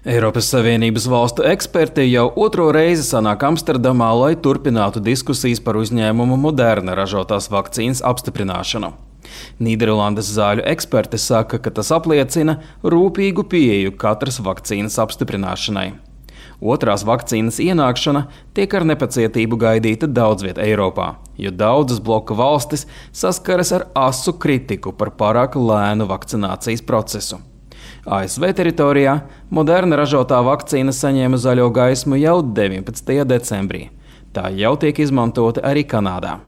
Eiropas Savienības valstu eksperti jau otro reizi sanāk Amsterdamā, lai turpinātu diskusijas par uzņēmumu Moderna ražotās vakcīnas apstiprināšanu. Nīderlandes zāļu eksperti saka, ka tas apliecina rūpīgu pieeju katras vakcīnas apstiprināšanai. Otrās vakcīnas ienākšana tiek ar nepacietību gaidīta daudz viet Eiropā, jo daudzas bloka valstis saskaras ar asu kritiku par pārāk lēnu vakcinācijas procesu. ASV teritorijā Moderna ražotā vakcīna saņēma zaļo gaismu jau 19. decembrī. Tā jau tiek izmantota arī Kanādā.